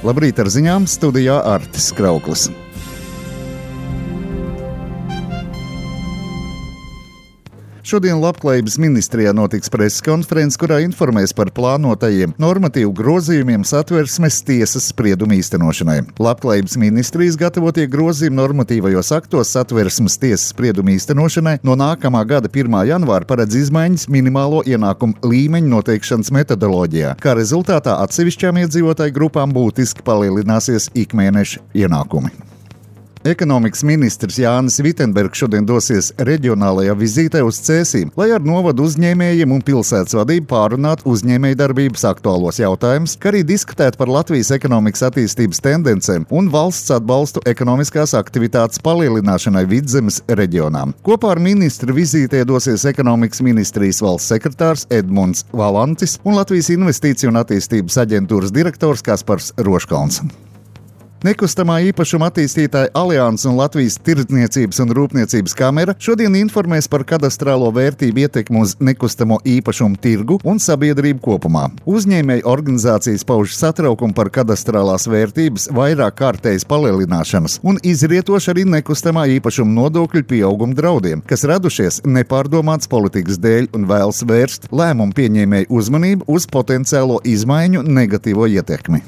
Labrīt ar ziņām, studijā Artis Krauklis. Šodien Labklājības ministrijā notiks preses konferences, kurā informēs par plānotajiem normatīvu grozījumiem Satversmes tiesas spriedumu īstenošanai. Labklājības ministrijas gatavotie grozījumi normatīvajos aktos Satversmes tiesas spriedumu īstenošanai no nākamā gada 1. janvāra paredz izmaiņas minimālo ienākumu līmeņu noteikšanas metodoloģijā, kā rezultātā atsevišķām iedzīvotāju grupām būtiski palielināsies ikmēneša ienākumi. Ekonomikas ministrs Jānis Vitenbergs šodien dosies reģionālajā vizītē uz Cēsīm, lai ar novadu uzņēmējiem un pilsētas vadību pārunātu uzņēmējdarbības aktuālos jautājumus, kā arī diskutēt par Latvijas ekonomikas attīstības tendencēm un valsts atbalstu ekonomiskās aktivitātes palielināšanai Vidzemes reģionām. Kopā ar ministru vizītē dosies ekonomikas ministrijas valsts sekretārs Edmunds Valantis un Latvijas investīciju un attīstības aģentūras direktors Kaspars Roškalns. Nekustamā īpašuma attīstītāja Alianses un Latvijas Tirdzniecības un Rūpniecības kamera šodien informēs par kadastrālo vērtību ietekmi uz nekustamo īpašumu tirgu un sabiedrību kopumā. Uzņēmēju organizācijas pauž satraukumu par kadastrālās vērtības vairāk kārtējas palielināšanas un izrietoši arī nekustamā īpašuma nodokļu pieauguma draudiem, kas radušies nepārdomāts politikas dēļ un vēlas vērst lēmumu pieņēmēju uzmanību uz potenciālo izmaiņu negatīvo ietekmi.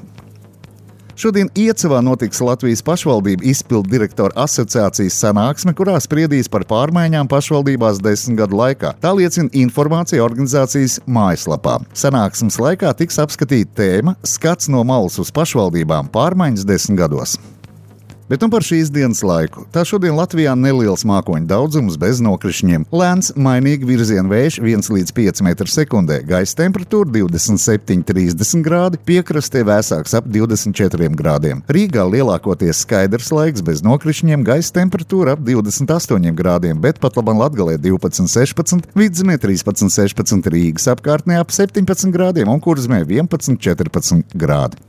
Šodien Iecavā notiks Latvijas pašvaldību izpildu direktoru asociācijas sanāksme, kurā spriedīs par pārmaiņām pašvaldībās 10 gadu laikā. Tā liecina informācija organizācijas mājaslapā. Sanāksmes laikā tiks apskatīta tēma "Skats no malas uz pašvaldībām - pārmaiņas 10 gados". Bet par šīs dienas laiku. Tā šodien Latvijā neliels mākoņu daudzums bez nokrišņiem. Lēns, mainīgi virziena vējš 1 līdz 5 m/sekundē. Gaisa temperatūra 27–30 grādi, piekrastē vēsāks ap 24 grādiem. Rīgā lielākoties skaidrs laiks bez nokrišņiem, gaisa temperatūra ap 28 grādiem, bet pat labam Latgalē 12–16, Vidzemē 13–16, Rīgas apkārtnē ap 17 grādiem un Kurzemē 11–14 grādi.